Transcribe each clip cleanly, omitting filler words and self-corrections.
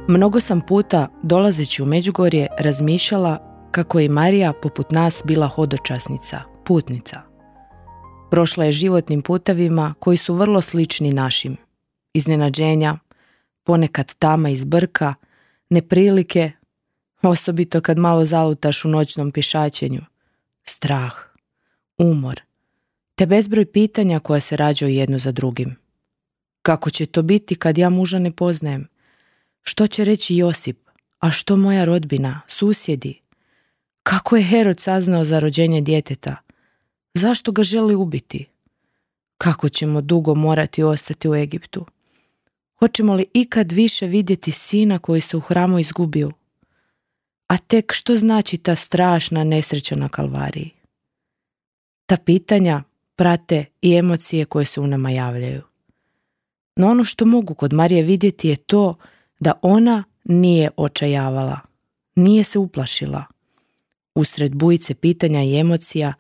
Mnogo sam puta, dolazeći u Međugorje, razmišljala kako je Marija poput nas bila hodočasnica, putnica. Prošla je životnim putevima koji su vrlo slični našim. Iznenađenja, ponekad tama iz brka, neprilike, osobito kad malo zalutaš u noćnom pješačenju, strah, umor, te bezbroj pitanja koja se rađaju jedno za drugim. Kako će to biti kad ja muža ne poznajem? Što će reći Josip? A što moja rodbina, susjedi? Kako je Herod saznao za rođenje djeteta? Zašto ga želi ubiti? Kako ćemo dugo morati ostati u Egiptu? Hoćemo li ikad više vidjeti sina koji se u hramu izgubio? A tek što znači ta strašna nesreća na Kalvariji? Ta pitanja prate i emocije koje se u nama javljaju. No ono što mogu kod Marije vidjeti je to da ona nije očajavala, nije se uplašila. Usred bujice pitanja i emocija,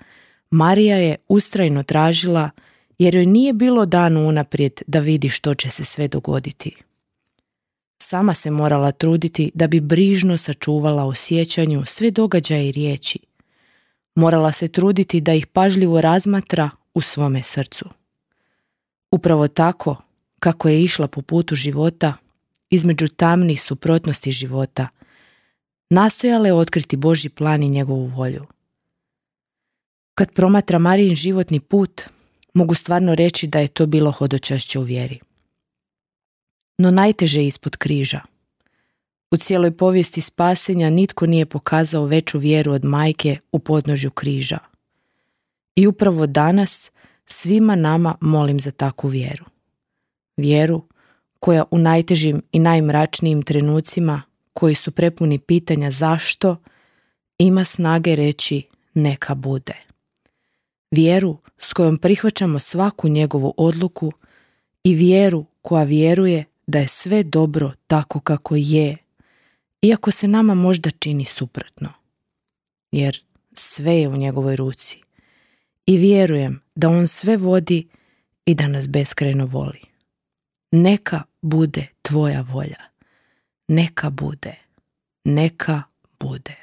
Marija je ustrajno tražila jer joj nije bilo dano unaprijed da vidi što će se sve dogoditi. Sama se morala truditi da bi brižno sačuvala u sjećanju sve događaje i riječi. Morala se truditi da ih pažljivo razmatra u svome srcu. Upravo tako, kako je išla po putu života, između tamnih suprotnosti života, nastojala je otkriti Božji plan i njegovu volju. Kad promatra Marijin životni put, mogu stvarno reći da je to bilo hodočašće u vjeri. No najteže je ispod križa. U cijeloj povijesti spasenja nitko nije pokazao veću vjeru od majke u podnožju križa. I upravo danas svima nama molim za takvu vjeru. Vjeru koja u najtežim i najmračnijim trenucima, koji su prepuni pitanja zašto, ima snage reći neka bude. Vjeru s kojom prihvaćamo svaku njegovu odluku i vjeru koja vjeruje da je sve dobro tako kako je, iako se nama možda čini suprotno. Jer sve je u njegovoj ruci i vjerujem da on sve vodi i da nas beskrajno voli. Neka bude tvoja volja. Neka bude. Neka bude.